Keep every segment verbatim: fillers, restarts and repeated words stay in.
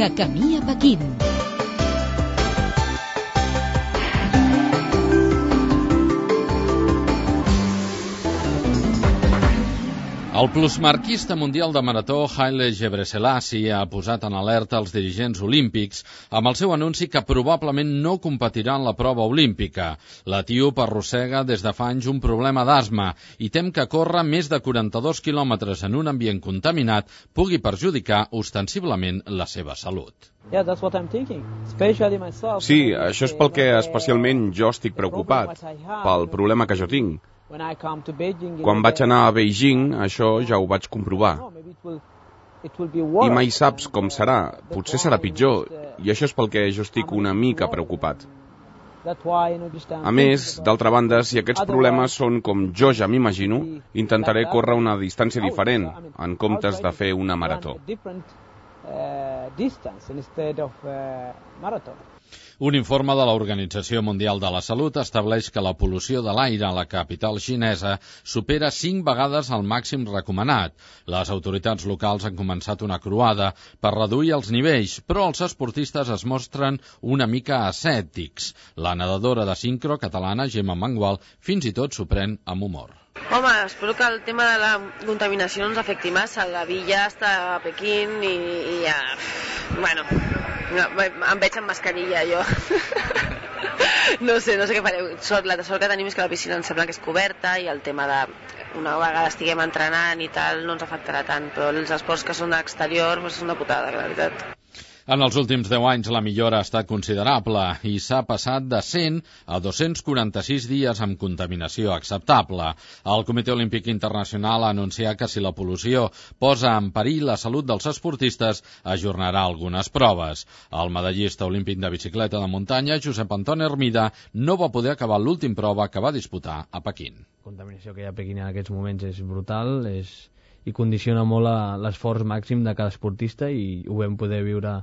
De camí a Pequín. El plusmarquista mundial de marató Haile Gebrselassie ha posat en alerta els dirigents olímpics amb el seu anunci que probablement no competirà en la prova olímpica. L'etíop arrossega des de fa anys un problema d'asma i tem que córrer més de quaranta-dos quilòmetres en un ambient contaminat pugui perjudicar ostensiblement la seva salut. Sí, això és pel que especialment jo estic preocupat, pel problema que jo tinc. Quan vaig anar a Beijing, això ja ho vaig comprovar. I mai saps com serà, potser serà pitjor, i això és pel que jo estic una mica preocupat. A més, d'altra banda, si aquests problemes són com jo ja m'imagino, intentaré córrer una distància diferent, en comptes de fer una marató. Un informe de l'Organització Mundial de la Salut estableix que la pol·lució de l'aire a la capital xinesa supera cinc vegades el màxim recomanat. Les autoritats locals han començat una croada per reduir els nivells, però els esportistes es mostren una mica escèptics. La nedadora de sincro catalana, Gemma Mangual, fins i tot s'ho pren amb humor. Home, espero que el tema de la contaminació no ens afecti massa. La villa està a Pequín i, i ja... Bueno, em veig amb mascarilla, jo. No sé, no sé què fareu. La sort que tenim és que la piscina em sembla que és coberta i el tema de una vegada estiguem entrenant i tal no ens afectarà tant, però els esports que són d'exterior doncs és una putada, la veritat. En els últims deu anys la millora ha estat considerable i s'ha passat de cent a dos-cents quaranta-sis dies amb contaminació acceptable. El Comitè Olímpic Internacional ha anunciat que si la pol·lució posa en perill la salut dels esportistes, ajornarà algunes proves. El medallista olímpic de bicicleta de muntanya, Josep Antoni Hermida, no va poder acabar l'últim prova que va disputar a Pequín. La contaminació que hi ha a Pequín en aquests moments és brutal és... i condiciona molt l'esforç màxim de cada esportista i ho vam poder viure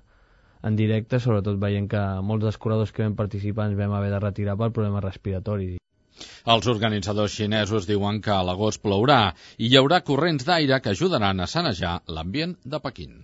en directe, sobretot veient que molts dels corredors que vam participar ens vam haver de retirar per problemes respiratoris. Els organitzadors xinesos diuen que a l'agost plourà i hi haurà corrents d'aire que ajudaran a sanejar l'ambient de Pequín.